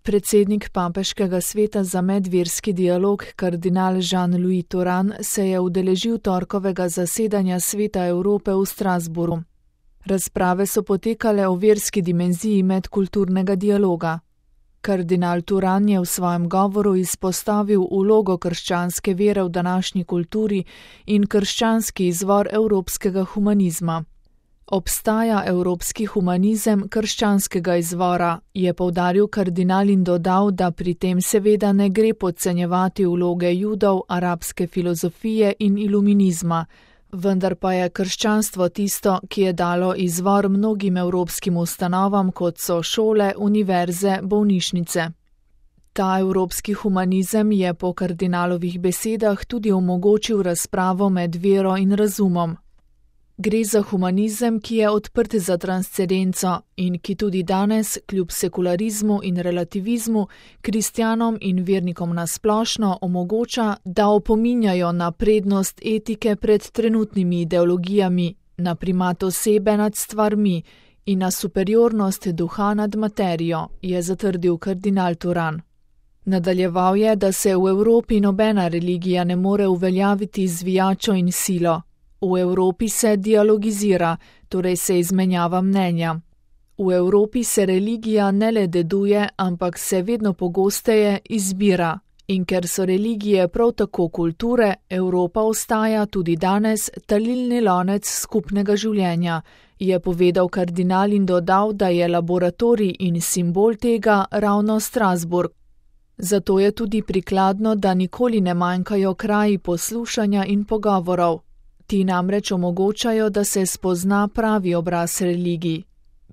Predsednik Papeškega sveta za medverski dialog kardinal Jean-Louis Thuram se je udeležil torkovega zasedanja Sveta Evrope v Strasbourgu. Razprave so potekale o verski dimenziji medkulturnega dialoga. Kardinal Thuram je v svojem govoru izpostavil vlogo krščanske vere v današnji kulturi in krščanski izvor evropskega humanizma. Obstaja evropski humanizem krščanskega izvora, je poudaril kardinal in dodal, da pri tem seveda ne gre podcenjevati vloge Judov, arabske filozofije in iluminizma, vendar pa je krščanstvo tisto, ki je dalo izvor mnogim evropskim ustanovam, kot so šole, univerze, bolnišnice. Ta evropski humanizem je po kardinalovih besedah tudi omogočil razpravo med vero in razumom. Gre za humanizem, ki je odprt za transcendenco in ki tudi danes, kljub sekularizmu in relativizmu, kristjanom in vernikom nasplošno omogoča, da opominjajo na prednost etike pred trenutnimi ideologijami, na primat osebe nad stvarmi in na superiornost duha nad materijo, je zatrdil kardinal Thuram. Nadaljeval je, da se v Evropi nobena religija ne more uveljaviti z zvijačo in silo. V Evropi se dialogizira, torej se izmenjava mnenja. V Evropi se religija ne le deduje, ampak se vedno pogosteje izbira. In ker so religije prav tako kulture, Evropa ostaja tudi danes talilni lonec skupnega življenja, je povedal kardinal in dodal, da je laboratorij in simbol tega ravno Strasbourg. Zato je tudi prikladno, da nikoli ne manjkajo kraji poslušanja in pogovorov. Ti namreč omogočajo, da se spozna pravi obraz religij.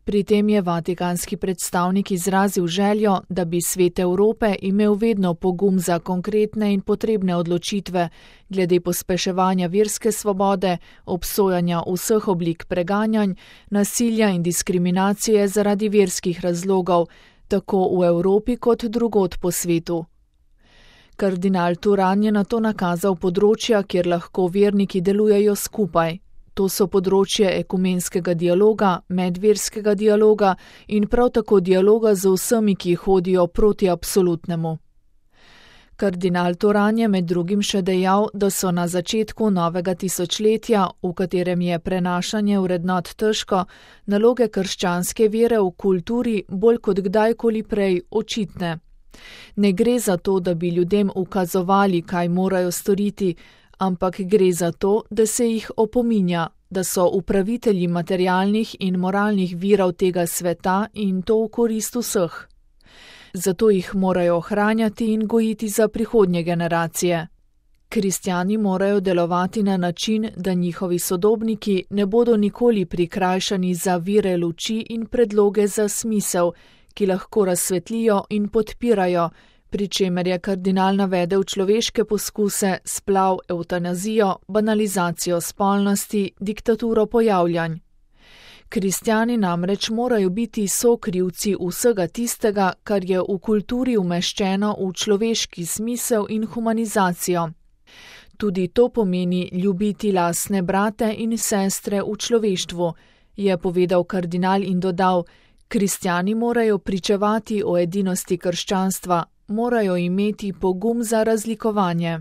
Pri tem je vatikanski predstavnik izrazil željo, da bi Svet Evrope imel vedno pogum za konkretne in potrebne odločitve glede pospeševanja verske svobode, obsojanja vseh oblik preganjanj, nasilja in diskriminacije zaradi verskih razlogov, tako v Evropi kot drugod po svetu. Kardinal Thuram je nato nakazal področja, kjer lahko verniki delujejo skupaj. To so področje ekumenskega dialoga, medverskega dialoga in prav tako dialoga z vsemi, ki hodijo proti absolutnemu. Kardinal Thuram je med drugim še dejal, da so na začetku novega tisočletja, v katerem je prenašanje vrednot težko, naloge krščanske vere v kulturi bolj kot kdajkoli prej očitne. Ne gre za to, da bi ljudem ukazovali, kaj morajo storiti, ampak gre za to, da se jih opominja, da so upravitelji materialnih in moralnih virov tega sveta in to v korist vseh. Zato jih morajo ohranjati in gojiti za prihodnje generacije. Kristjani morajo delovati na način, da njihovi sodobniki ne bodo nikoli prikrajšani za vire luči in predloge za smisel, ki lahko razsvetlijo in podpirajo, pri čemer je kardinal navedel človeške poskuse, splav, evtanazijo, banalizacijo spolnosti, diktaturo pojavljanj. Kristjani namreč morajo biti sokrivci vsega tistega, kar je v kulturi umeščeno v človeški smisel in humanizacijo. Tudi to pomeni ljubiti lastne brate in sestre v človeštvu, je povedal kardinal in dodal, kristjani morajo pričevati o edinosti krščanstva, morajo imeti pogum za razlikovanje.